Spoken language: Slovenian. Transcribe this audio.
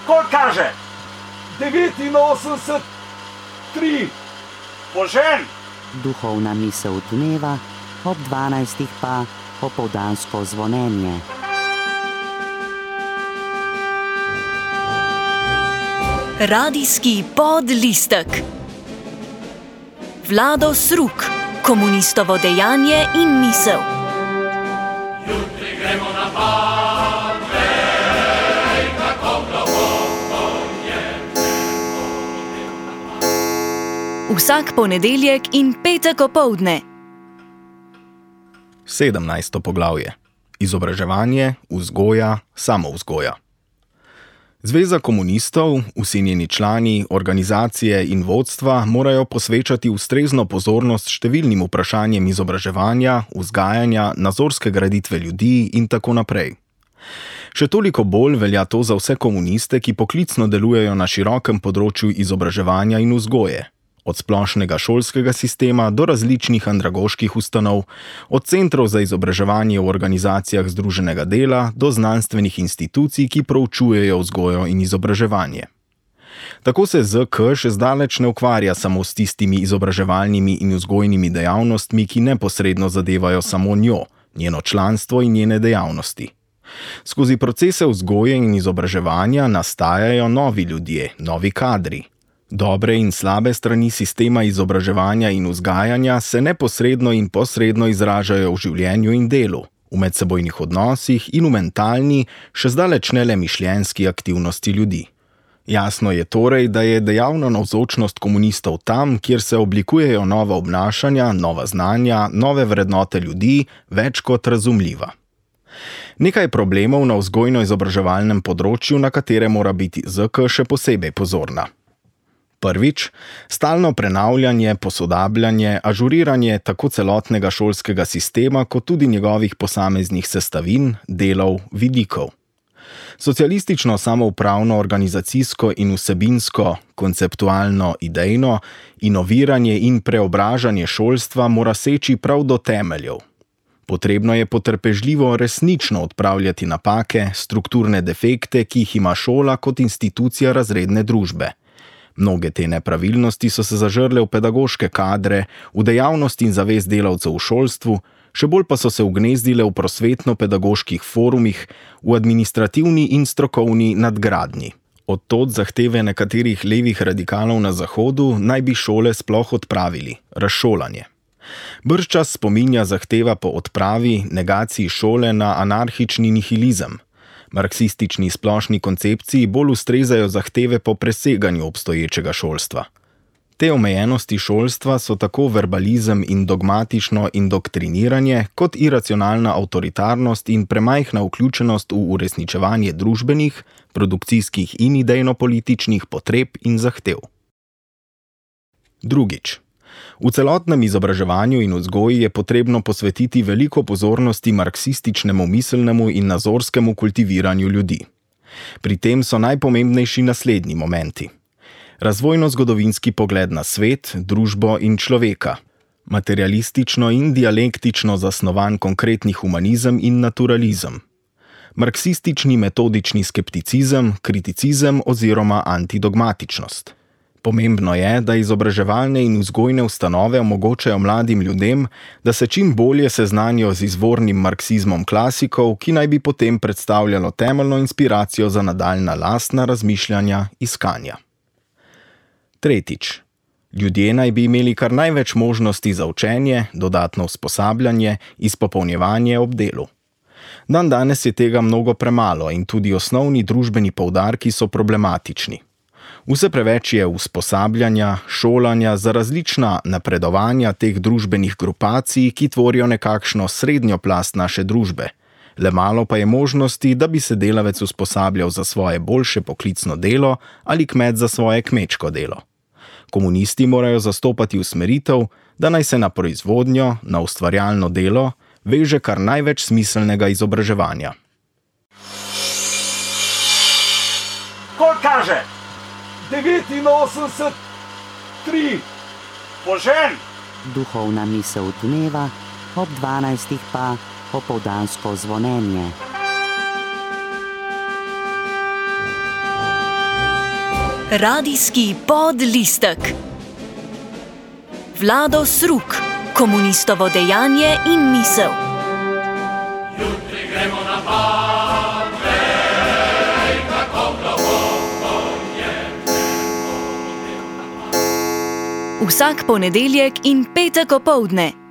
Koliko kaže? 89, 3. Požen! Duhovna misel dneva, ob 12. pa popoldansko zvonjenje. Radijski podlistek. Vlado Sruk, komunistovo dejanje in misel. Jutri gremo na Patrej, kako globoko je nebo. Vsak ponedeljek in petek opoldne. 17. poglavje. Izobraževanje, vzgoja, samovzgoja. Zveza komunistov, vsi njeni člani, organizacije in vodstva morajo posvečati ustrezno pozornost številnim vprašanjem izobraževanja, vzgajanja, nazorske graditve ljudi in tako naprej. Še toliko bolj velja to za vse komuniste, ki poklicno delujejo na širokem področju izobraževanja in vzgoje. Od splošnega šolskega sistema do različnih andragoških ustanov, od centrov za izobraževanje v organizacijah združenega dela do znanstvenih institucij, ki proučujejo vzgojo in izobraževanje. Tako se ZK še zdaleč ne ukvarja samo s tistimi izobraževalnimi in vzgojnimi dejavnostmi, ki neposredno zadevajo samo njo, njeno članstvo in njene dejavnosti. Skozi procese vzgoje in izobraževanja nastajajo novi ljudje, novi kadri. Dobre in slabe strani sistema izobraževanja in vzgajanja se neposredno in posredno izražajo v življenju in delu, v medsebojnih odnosih in v mentalni, še zdaleč ne le mišljenjski aktivnosti ljudi. Jasno je torej, da je dejavna navzočnost komunistov tam, kjer se oblikujejo nova obnašanja, nova znanja, nove vrednote ljudi, več kot razumljiva. Nekaj problemov na vzgojno-izobraževalnem področju, na katere mora biti ZK še posebej pozorna. Prvič, stalno prenavljanje, posodabljanje, ažuriranje tako celotnega šolskega sistema, kot tudi njegovih posameznih sestavin, delov, vidikov. Socialistično samoupravno, organizacijsko in vsebinsko, konceptualno, idejno, inoviranje in preobražanje šolstva mora seči prav do temeljev. Potrebno je potrpežljivo resnično odpravljati napake, strukturne defekte, ki jih ima šola kot institucija razredne družbe. Mnoge te nepravilnosti so se zažrle v pedagoške kadre, v dejavnost in zavest delavcev v šolstvu, še bolj pa so se ugnezdile v prosvetno-pedagoških forumih, v administrativni in strokovni nadgradnji. Od tod zahteve nekaterih levih radikalov na Zahodu naj bi šole sploh odpravili, razšolanje. Bržčas spominja zahteva po odpravi, negaciji šole na anarhični nihilizem. Marksistični splošni koncepciji bolj ustrezajo zahteve po preseganju obstoječega šolstva. Te omejenosti šolstva so tako verbalizem in dogmatično indoktriniranje, kot iracionalna avtoritarnost in premajhna vključenost v uresničevanje družbenih, produkcijskih in idejno-političnih potreb in zahtev. Drugič. V celotnem izobraževanju in vzgoji je potrebno posvetiti veliko pozornosti marksističnemu miselnemu in nazorskemu kultiviranju ljudi. Pri tem so najpomembnejši naslednji momenti. Razvojno-zgodovinski pogled na svet, družbo in človeka, materialistično in dialektično zasnovan konkretni humanizem in naturalizem, marksistični metodični skepticizem, kriticizem oziroma antidogmatičnost. Pomembno je, da izobraževalne in vzgojne ustanove omogočajo mladim ljudem, da se čim bolje seznanijo z izvornim marksizmom klasikov, ki naj bi potem predstavljalo temeljno inspiracijo za nadaljnja lastna razmišljanja, iskanja. Tretjič. Ljudje naj bi imeli kar največ možnosti za učenje, dodatno usposabljanje, izpopolnjevanje ob delu. Dandanes je tega mnogo premalo in tudi osnovni družbeni poudarki so problematični. Vse preveč je usposabljanja, šolanja za različna napredovanja teh družbenih grupacij, ki tvorijo nekakšno srednjo plast naše družbe. Le malo pa je možnosti, da bi se delavec usposabljal za svoje boljše poklicno delo ali kmet za svoje kmečko delo. Komunisti morajo zastopati usmeritev, da naj se na proizvodnjo, na ustvarjalno delo veže kar največ smiselnega izobraževanja. Koliko kaže? 89, 3. Požen! Duhovna misel dneva, ob 12. pa popoldansko zvonjenje. Radijski podlistek. Vlado Sruk, komunistovo dejanje in misel. Jutri gremo na pad, vej, kako globoko je. Vsak ponedeljek in petek opoldne.